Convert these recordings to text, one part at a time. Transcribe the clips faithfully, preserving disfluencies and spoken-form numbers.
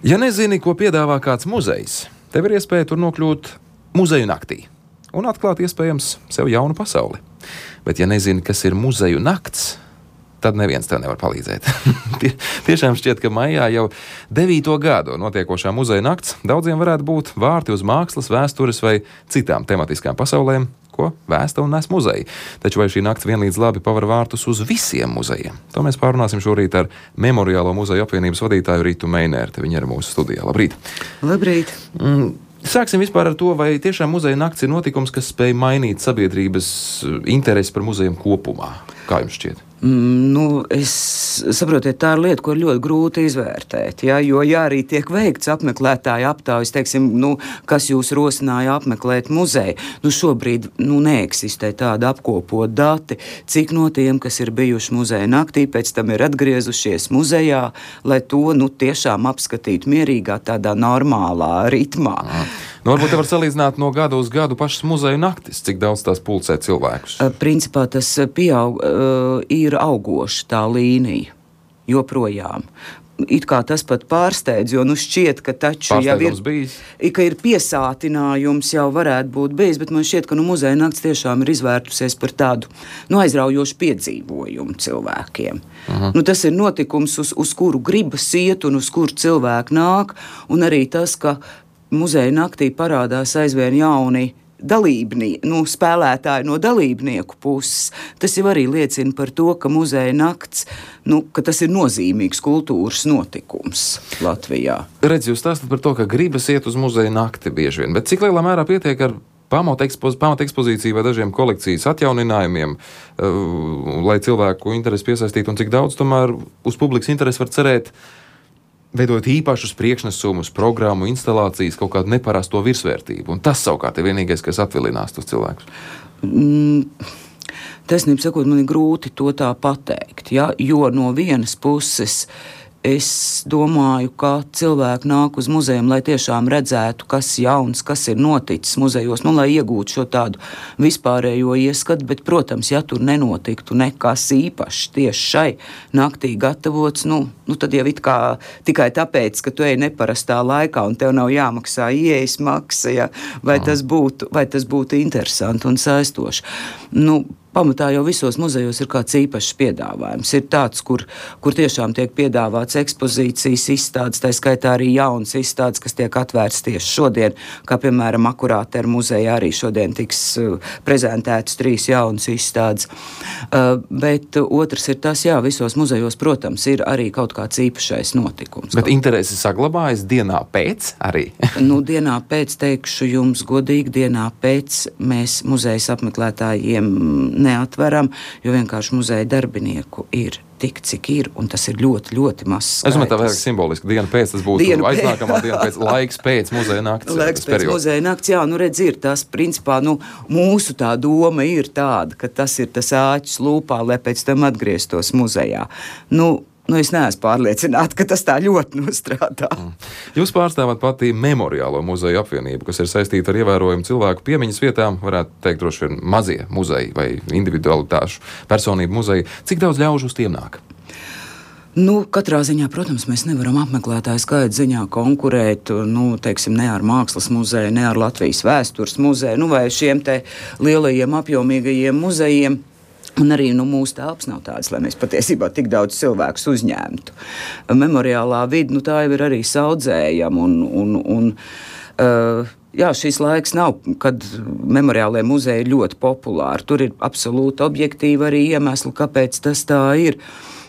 Ja nezini, ko piedāvā kāds muzejs, tev ir iespēja tur nokļūt muzeju naktī un atklāt iespējams sev jaunu pasauli. Bet ja nezini, kas ir muzeju nakts, tad neviens tev nevar palīdzēt. Tie, tiešām šķiet, ka maijā jau devīto gadu notiekošā muzeja nakts daudziem varētu būt vārti uz mākslas, vēstures vai citām tematiskām pasaulēm, ko vēsta un nes muzeji. Taču vai šī nakts vienlīdz labi paver vārtus uz visiem muzejiem? To mēs pārunāsim šorīt ar Memoriālo muzeju apvienības vadītāju Ritu Meinērti. Viņa ir mūsu studijā. Labrīt! Labrīt! Mm. Sāksim vispār ar to, vai tiešām muzeja nakts ir notikums, kas spēj mainīt sabiedrības interesi par muzejiem kopumā. Kā jums šķiet? Mm, nu, es saprotiet, tā ir lieta, ko ļoti grūti izvērtēt, ja? Jo ja arī tiek veikts apmeklētāju aptaujas, teiksim, nu, kas jūs rosināja apmeklēt muzeju, nu šobrīd nu, neeksistē tāda apkopot dati, cik no tiem, kas ir bijuši muzeja naktī, pēc tam ir atgriezušies muzejā, lai to nu, tiešām apskatītu mierīgā, tādā normālā ritmā. Aha. Nu, varbūt te var salīdzināt no gada uz gadu pašas muzeju naktis, cik daudz tās pulcē cilvēkus. Principā tas pieaug, ir augoša tā līnija joprojām. It kā tas pat pārsteidz, jo nu šķiet, ka taču jau ir, ka ir piesātinājums jau varētu būt bijis, bet man šķiet, ka nu, muzeja nakts tiešām ir izvērtusies par tādu nu, aizraujošu piedzīvojumu cilvēkiem. Uh-huh. Nu, tas ir notikums, uz, uz kuru gribas iet un uz kuru cilvēki nāk, un arī tas, ka muzeja naktī parādās aizvien jauni dalībnie, nu, spēlētāji no dalībnieku puses. Tas jau arī liecina par to, ka muzeja nakts, nu, ka tas ir nozīmīgs kultūras notikums Latvijā. Redz, jūs stāstat par to, ka gribas iet uz muzeja nakti bieži vien, bet cik lielā mērā pietiek ar pamata ekspoz, pamat ekspozīciju vai dažiem kolekcijas atjauninājumiem, uh, lai cilvēku interesi piesaistītu, un cik daudz tomēr uz publikas interesi var cerēt, veidot īpašus priekšnesumus, programmu, instalācijas, kaut kādu neparasto virsvērtību. Un tas savukārt ir vienīgais, kas atvilinās tos cilvēkus. Mm, taisnība sakot, man ir grūti to tā pateikt, ja? Jo no vienas puses es domāju, ka cilvēki nāk uz muzejiem, lai tiešām redzētu, kas jauns, kas ir noticis muzejos, nu, lai iegūtu šo tādu vispārējo ieskatu, bet, protams, ja tur nenotiktu nekas īpašs tieši šai naktī gatavots, nu, nu tad jau it kā tikai tāpēc, ka tu ej neparastā laikā un tev nav jāmaksā ieejas maksa, ja? vai, tas būtu, vai tas būtu interesanti un saistoši. Nu, pamatā jau visos muzejos ir kāds īpašs piedāvājums. Ir tāds, kur, kur tiešām tiek piedāvāts ekspozīcijas izstādes, tā skaitā arī jaunas izstādes, kas tiek atvērts tieši šodien, kā piemēram Akurātera muzejā arī šodien tiks uh, prezentētas trīs jaunas izstādes. Uh, bet otrs ir tas, jā, visos muzejos, protams, ir arī kaut kāds īpašais notikums. Bet interesi saglabājas dienā pēc arī? Nu, dienā pēc, teikšu jums godīgi, dienā pēc mēs muzejas apmeklētājiem neatveram, jo vienkārši muzeja darbinieku ir tik, cik ir, un tas ir ļoti, ļoti mazs skaitlis. Es domāju, tā vairāk simboliski. Diena pēc tas būtu diena aiznākamā diena pēc, laiks pēc muzeja nakts. Laiks pēc periods. Muzeja nakts, jā, nu redz, ir tas, principā, nu, mūsu tā doma ir tāda, ka tas ir tas āķis lūpā, lai pēc tam atgrieztos muzejā. Nu, Nu, es neesmu pārliecināta, ka tas tā ļoti nostrādā. Mm. Jūs pārstāvat pati Memoriālo muzeju apvienību, kas ir saistīta ar ievērojumu cilvēku piemiņas vietām, varētu teikt, droši vien mazie muzeji vai individualitāšu personību muzeji. Cik daudz ļaužu uz tiem nāk? Nu, katrā ziņā, protams, mēs nevaram apmeklētāju skaita ziņā konkurēt, nu, teiksim, ne ar Mākslas muzeju, ne ar Latvijas vēstures muzeju, nu, vai šiem te lielajiem apjomīgajiem muzejiem. Un arī nu, mūsu telpas nav tādas, lai mēs patiesībā tik daudz cilvēkus uzņemtu. Memoriālā vide, nu, tā jau ir arī saudzējama. Un, un, un, uh, jā, šis laiks nav, kad memoriālie muzeji ir ļoti populāri. Tur ir absolūti objektīvi arī iemesli, kāpēc tas tā ir.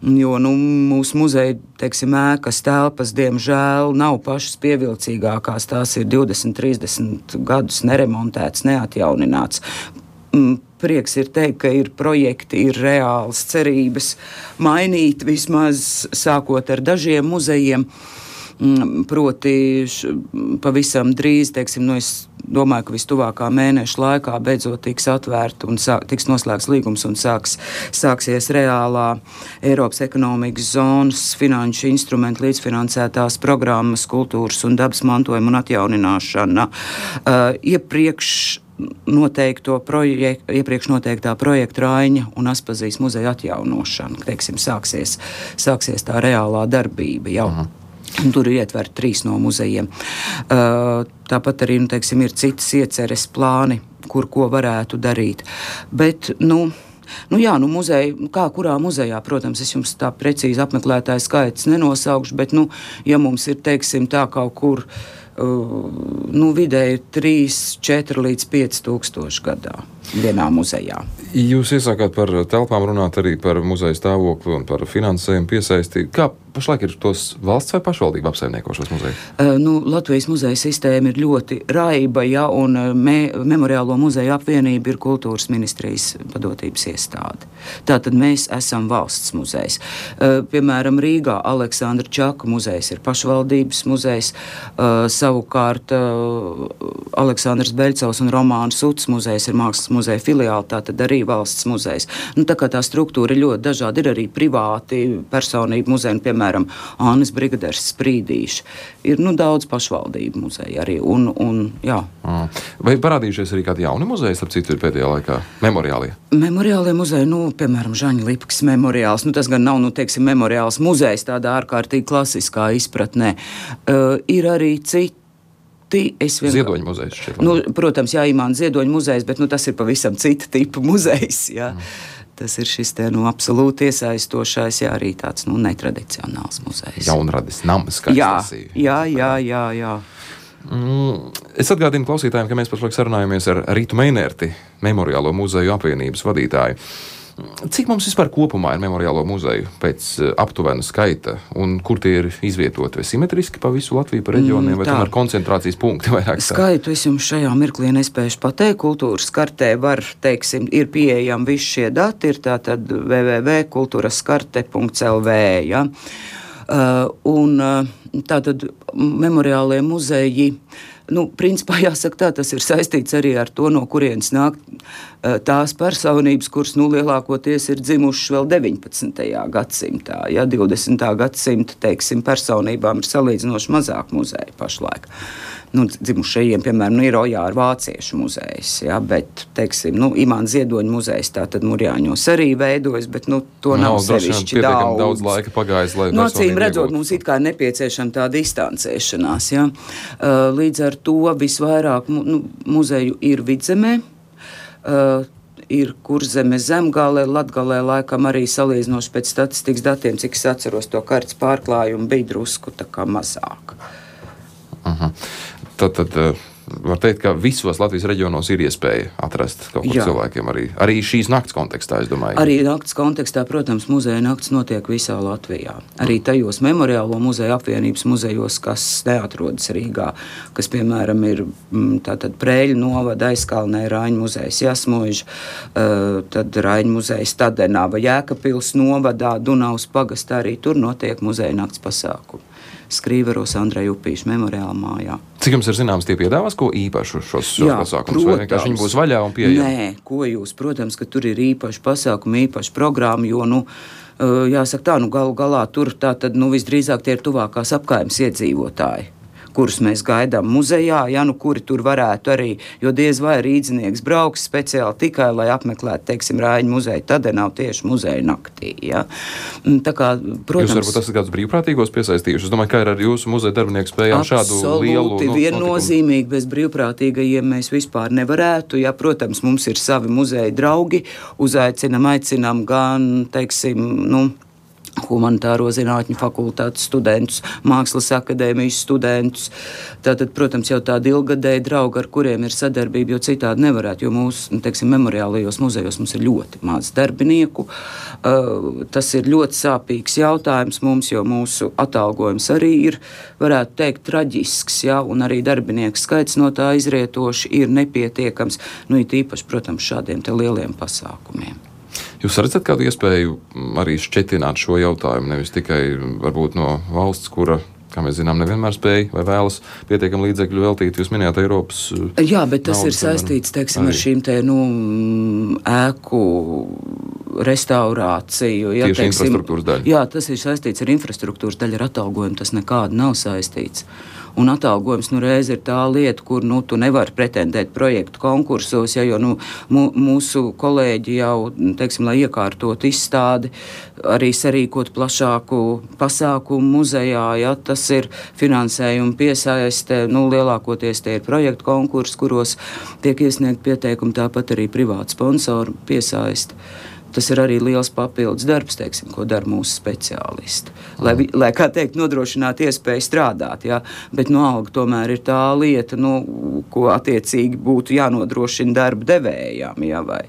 Jo nu, mūsu muzeja, teiksim, ēkas telpas, diemžēl, nav pašas pievilcīgākās. Tās ir divdesmit, trīsdesmit gadus neremontētas, neatjaunināts. Prieks ir teikt, ka ir projekti, ir reāls cerības mainīt vismaz sākot ar dažiem muzejiem. Proti š, pavisam drīz, teiksim, nu es domāju, ka vistuvākā mēneša laikā beidzot tiks atvērta un sāk, tiks noslēgts līgums un sāks, sāksies reālā Eiropas ekonomikas zonas finanšu instrumentu līdzfinansētās programmas kultūras un dabas mantojuma un atjaunināšana. Uh, iepriekš noteikto projek- iepriekš noteiktā projekta Raiņa un Aspazijas muzeja atjaunošana. Teiksim, sāksies, sāksies tā reālā darbība jau. Mhm. Tur ir ietverti trīs no muzejiem. Uh, tāpat arī, nu, teiksim, ir citas ieceres plāni, kur ko varētu darīt. Bet, nu, nu jā, nu muzeja, kā kurā muzejā, protams, es jums tā precīzi apmeklētāju skaits nenosaukšu, bet, nu, ja mums ir, teiksim, tā kaut kur, uh, nu, vidēji trīs, četri līdz pieci tūkstoši gadā vienā muzejā. Jūs iesākāt par telpām runāt arī par muzeja stāvokli un par finansējumu piesaisti. Kā pašlaik ir tos valsts vai pašvaldība apsaimnieko šos muzejus? Uh, nu, Latvijas muzeja sistēma ir ļoti raiba, ja, un me, Memoriālo muzeju apvienība ir kultūras ministrijas padotības iestāde. Tātad mēs esam valsts muzejs. Uh, piemēram, Rīgā Aleksandra Čaka muzejs ir pašvaldības muzejs, uh, savukārt uh, Aleksandrs Beļcovs un Romāna Suts muzejs ir mākslas muzeja filiāli, tātad arī valsts muzejs. Nu, tā kā tā struktūra ir ļoti dažāda, ir arī privāti personību muzeji, piemēram, Annas Brigaders Sprīdīša. Ir, nu, daudz pašvaldību muzeja arī, un, un jā. Vai parādījušies arī kādi jauni muzeji, ap citu ir pēdējā laikā memoriālie? Memoriālie muzeji, nu, piemēram, Žaņa Lipkas memoriāls, nu, tas gan nav, nu, teiksim, memoriāls muzejs tādā ārkārtīgi klasiskā izpratnē. Uh, ir arī citi. Vien... Ziedoņa muzejs šķiet. Nu, protams, jā, Imāna Ziedoņa muzejs, bet nu, tas ir pavisam cita tipa muzejs. Jā. Mm. Tas ir šis te, nu, absolūti iesaistošais, jā, arī tāds, nu, netradicionāls muzejs. Jaunradis nams, kā jā, es lasīju. Jā, jā, jā, jā. Mm, es atgādinu klausītājiem, ka mēs pašlaik sarunājamies ar Ritu Meinerti, Memoriālo muzeju apvienības vadītāju. Cik mums vispār kopumā ir memoriālo muzeju pēc aptuvena skaita, un kur tie ir izvietoti? Vai simetriski pa visu Latviju, pa reģioniem, vai tomēr koncentrācijas punkti vairāk? Skaitu es jums šajā mirklī nespēšu pateikt. Kultūras kartē var, teiksim, ir pieejami visi šie dati, ir tātad w w w punkt kulturaskarte punkt l v, ja? Uh, un uh, tātad memoriālie muzeji, nu, principā jāsaka tā, tas ir saistīts arī ar to, no kurienes nāk uh, tās personības, kuras, nu, lielākoties ir dzimušas vēl deviņpadsmitajā gadsimtā. Ja, divdesmitā gadsimta, teiksim, personībām ir salīdzinoši mazāk muzeju pašlaik. Nu, dzimušajiem, piemēram, nu, ir Ojāra vāciešu muzejs, ja, bet, teiksim, nu, Imāna Ziedoņa muzejs tātad Murjāņos arī veidojas, bet, nu, to nav, nav sevišķi daudz. daudz laika pagājis, lai no acīm redzot, mums it kā ir nepieciešama tā distancēšanās, ja. Uh, līdz ar to visvairāk nu, muzeju ir Vidzemē, uh, ir Kurzeme Zemgale, Latgalē laikam arī salīdzinoši pēc statistikas datiem, cik es atceros to kartes pārklājumu, bija drusku tā kā mazāk. Uh-huh. Tad, tad var teikt, ka visos Latvijas reģionos ir iespēja atrast kaut kur cilvēkiem arī, arī šīs nakts kontekstā, es domāju. Arī nakts kontekstā, protams, muzeja nakts notiek visā Latvijā. Arī tajos Memoriālo muzeju apvienības muzejos, kas neatrodas Rīgā, kas, piemēram, ir tātad Prēļu novada, Aizkalnē, Raiņu muzejs Jasmuiža, tad Raiņu muzejs Tadenava, Jēkabpils novadā, Dunavas pagastā, arī tur notiek muzeja nakts pasākumi. Skrīveros Andreja Upīša memoriāla mājā. Cik jums ir zināms, tie piedāvās ko īpašu šos, šos Jā, pasākumus? Protams. Vai vienkārši viņi būs vaļā un pieejami? Nē, ko jūs, protams, ka tur ir īpaši pasākumi, īpaši programma, jo, nu, jāsaka tā, nu, galu galā tur tā tad, nu, visdrīzāk tie ir tuvākās apkaimes iedzīvotāji, kurus mēs gaidām muzejā, ja, nu, kuri tur varētu arī, jo diez vai rīdzinieks brauks speciāli tikai, lai apmeklētu, teiksim, Raiņu muzeju, tad nav tieši muzeja naktī, ja. Tā kā, protams... Jūs varbūt esat kādus brīvprātīgos piesaistījuši? Es domāju, kā ir ar jūsu muzeja darbinieku spējām šādu lielu... Absolūti, viennozīmīgi, bez brīvprātīgajiem mēs vispār nevarētu, ja, protams, mums ir savi muzeja draugi, uzaicinam, aicinam gan, teiksim, nu, humanitāro zinātņu fakultātes studentus, mākslas akadēmijas studentus. Tātad, protams, jau tādi ilgadēji draugi, ar kuriem ir sadarbība, jo citādi nevarētu, jo mūsu, teiksim, memoriālajos muzejos mums ir ļoti maz darbinieku. Uh, tas ir ļoti sāpīgs jautājums mums, jo mūsu atalgojums arī ir, varētu teikt, traģisks, ja, un arī darbinieku skaits no tā izrietoši ir nepietiekams, nu, it īpaši, protams, šādiem te lieliem pasākumiem. Jūs redzat kādu iespēju arī šķetināt šo jautājumu, nevis tikai varbūt no valsts, kura, kā mēs zinām, nevienmēr spēja vai vēlas pietiekam līdzekļu veltīt? Jūs minējāt Eiropas... Jā, bet tas naudas, ir saistīts, teiksim, arī ar šīm te, nu, ēku restaurāciju. Ja, tieši teiksim, infrastruktūras daļa. Jā, tas ir saistīts ar infrastruktūras daļu, ar atalgojumu tas nekādi nav saistīts. un atalgojums nu reiz ir tā lieta, kur nu, tu nevari pretendēt projektu konkursos, ja, jo nu, mūsu kolēģi jau, teiksim, lai iekārtot izstādi, arī sarīkot plašāku pasākumu muzejā, ja, tas ir finansējuma piesaiste, nu, lielākoties tie ir projektu konkursi, kuros tiek iesniegt pieteikumi, tāpat arī privāti sponsoru piesaiste. Tas ir arī liels papildus darbs, teiksim, ko dara mūsu speciālisti. Lai, lai kā teikt, nodrošinātu iespēju strādāt, ja? Bet no alga tomēr ir tā lieta, nu, ko attiecīgi būtu jānodrošina darba devējām, ja? vai,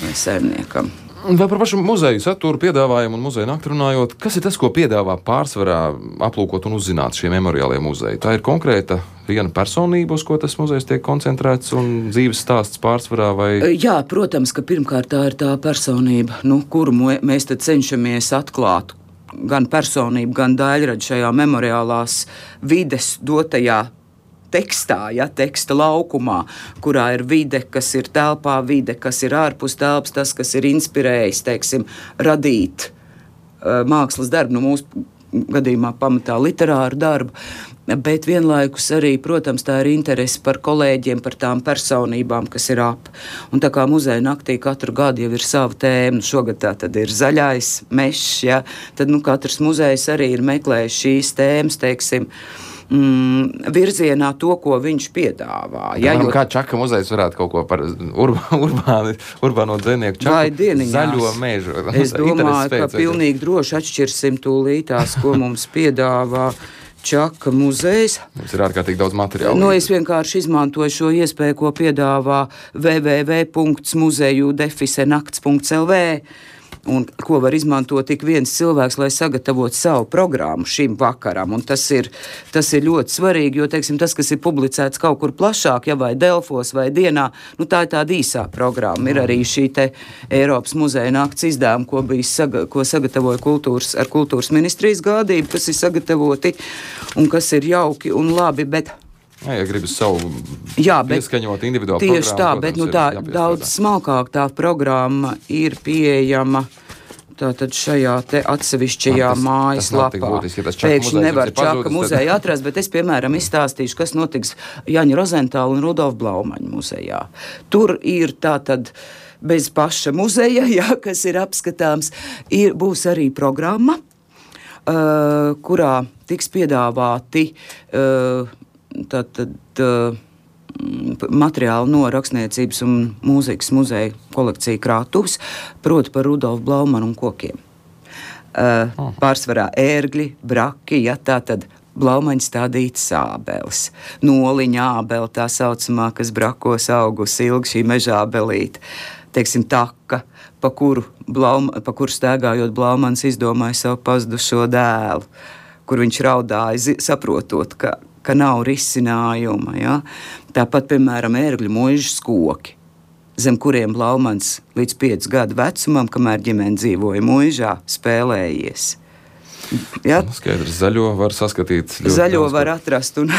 vai saimniekam. Vēl par pašu muzeju saturu, piedāvājumu un muzeju nakti runājot, kas ir tas, ko piedāvā pārsvarā aplūkot un uzzināt šie memoriālie muzeji? Tā ir konkrēta viena personība, uz ko tas muzejs tiek koncentrēts un dzīves stāsts pārsvarā? Vai... Jā, protams, ka pirmkārt tā ir tā personība, nu, kuru mēs tad cenšamies atklāt gan personību, gan daļradu šajā memoriālās vides dotajā tekstā, ja, teksta laukumā, kurā ir vide, kas ir telpā, vide, kas ir ārpus telpas, tas, kas ir inspirējis, teiksim, radīt uh, mākslas darbu, nu mūsu gadījumā pamatā literāru darbu, bet vienlaikus arī, protams, tā ir interese par kolēģiem, par tām personībām, kas ir ap. Un tā kā muzeja naktī katru gadu jau ir sava tēma, nu šogad tā tad ir zaļais mešs, ja, tad nu katrs muzejs arī ir meklējis šīs tēmas, teiksim, Mm, virzienā to, ko viņš piedāvā. Ja, jo... jo... Kā Čaka muzejs varētu kaut ko par urba, urbāni, urbāno dzīvnieku Čaku zaļo mežu? Es domāju, ka pilnīgi droši atšķirsim tūlītās, ko mums piedāvā Čaka muzejs. Mums ir ārkārtīgi daudz materiālu. Nu, es vienkārši izmantoju šo iespēju, ko piedāvā w w w punkts muzeju defise nakts punkts l v. Un ko var izmantot tik viens cilvēks, lai sagatavotu savu programmu šim vakaram. Un tas ir, tas ir ļoti svarīgi, jo, teiksim, tas, kas ir publicēts kaut kur plašāk, ja vai Delfos vai Dienā, nu tā ir tāda īsā programma. Ir arī šī te Eiropas muzeja nakts izdevuma, ko, bija saga, ko sagatavoja kultūras, ar kultūras ministrijas gādību, kas ir sagatavoti un kas ir jauki un labi, bet... Jā, ja gribas savu jā, bet, pieskaņot individuālu tieši programmu. Tā, protams, bet nu, tā, daudz smalkāk tā programma ir pieejama tātad šajā te atsevišķajā mājaslapā. Ja Pēkšņi nevar Čaka muzeju atrast, bet es, piemēram, izstāstīšu, kas notiks Jaņa Rozentāla un Rudolfa Blaumaņa muzejā. Tur ir tātad bez paša muzeja, jā, kas ir apskatāms, ir, būs arī programma, uh, kurā tiks piedāvāti uh, tātad uh, materiāli no rakstniecības un mūzikas muzeja kolekcija krātuves, proti par Rudolfu Blaumanu un kokiem. Uh, oh. Pārsvarā ērgļi, braki, ja tā tad Blaumaņa stādītas ābeles. Noliņa ābele, tā saucamā, kas brakos augus ilgi, šī meža ābelīte. Teiksim, taka, pa kuru, Blauma, pa kuru stēgājot Blaumans izdomāja savu pazudušo dēlu, kur viņš raudāja, saprotot, ka ka nav risinājuma. Ja? Tāpat, piemēram, ērgļu muižas koki, zem kuriem Blaumans līdz piecu gadu vecumam, kamēr ģimene dzīvoja muižā, spēlējies. Ja? Skaidrs, zaļo var saskatīt. Zaļo var atrast. Un...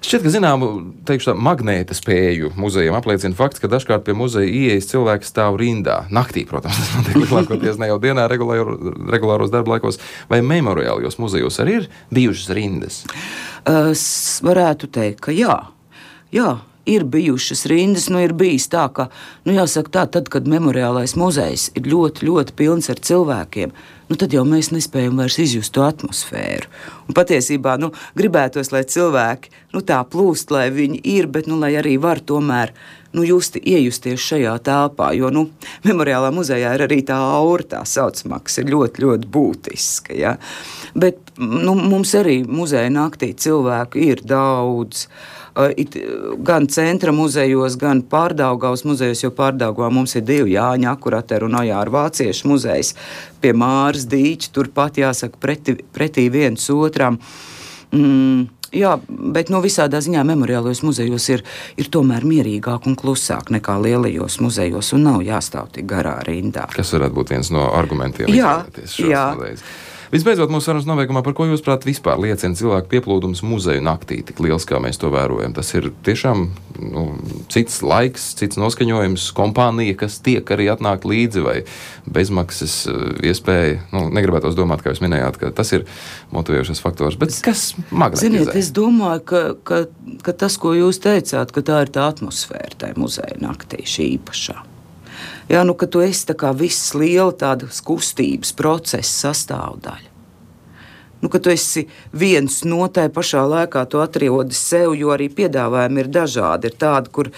Šķiet, ka zināmu, teikšu tā, magnēta spēju muzejiem apliecina fakts, ka dažkārt pie muzeja ieejas cilvēki stāv rindā. Naktī, protams, tas notiek lielākoties ne jau dienā regulāro, regulāros darba laikos. Vai memoriālijos muzejos arī ir bijušas rindas? Es varētu teikt, ka jā. Jā. Ir bijušas rindas, nu ir bijis tā, ka, nu jāsaka tā, tad, kad memoriālais muzejs ir ļoti, ļoti pilns ar cilvēkiem, nu tad jau mēs nespējam vairs izjust to atmosfēru. Un patiesībā, nu, gribētos, lai cilvēki, nu tā plūst, lai viņi ir, bet, nu, lai arī var tomēr, nu, justi, iejusties šajā telpā, jo, nu, memoriālā muzejā ir arī tā aura, tā saucamā, kas ir ļoti, ļoti būtiska, ja. Bet, nu, mums arī muzeja naktī cilvēku ir daudz, It, gan centra muzejos, gan Pārdaugavas muzejos, jo Pārdaugavā mums ir divi Jāņa Akurateru un Ojāra Vāciešu muzejs pie Māras Dīča, turpat jāsaka pretī, pretī viens otram. Mm, jā, bet no visādā ziņā memoriālajos muzejos ir, ir tomēr mierīgāk un klusāk nekā lielajos muzejos un nav jāstāv tik garā rindā. Kas varētu būt viens no argumentiem? Jā, jā. Muzejus. Visbeidzot, mūsu sarunas nobeigumā, par ko jūs prāt vispār liecina cilvēku pieplūdums muzeju naktī, tik liels, kā mēs to vērojam? Tas ir tiešām nu, cits laiks, cits noskaņojums, kompānija, kas tiek arī atnākt līdzi, vai bezmaksas iespēja. Nu, negribētos domāt, kā jūs minējāt, ka tas ir motivējošais faktors, bet kas magnetizē? Ziniet, es domāju, ka, ka, ka tas, ko jūs teicāt, ka tā ir tā atmosfēra tajā muzeja naktī, šī īpašā. Jā, nu, ka tu esi tā kā viss liela tādas kustības procesa sastāvdaļa. Nu, ka tu esi viens no tai pašā laikā, tu atrodi sev, jo arī piedāvājumi ir dažādi. Ir tādi, kur,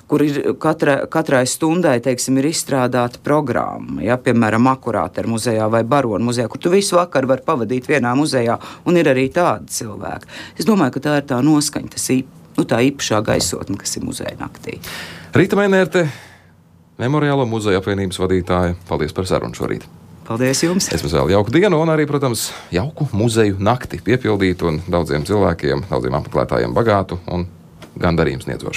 kur ir katrai, katrai stundai, teiksim, ir izstrādāta programma. Ja, piemēram, Akurātera muzejā vai Barona muzejā, kur tu visu vakaru vari pavadīt vienā muzejā, un ir arī tādi cilvēki. Es domāju, ka tā ir tā noskaņa, tas ir nu, tā īpašā gaisotne, kas ir muzeja naktī. Rīta Meinerte, Memoriālo muzeja apvienības vadītāja, paldies par sarunu šorīt. Paldies jums! Es jums vēlu jauku dienu un arī, protams, jauku muzeju nakti piepildītu un daudziem cilvēkiem, daudziem apmeklētājiem bagātu un gandarījumu sniedzošu.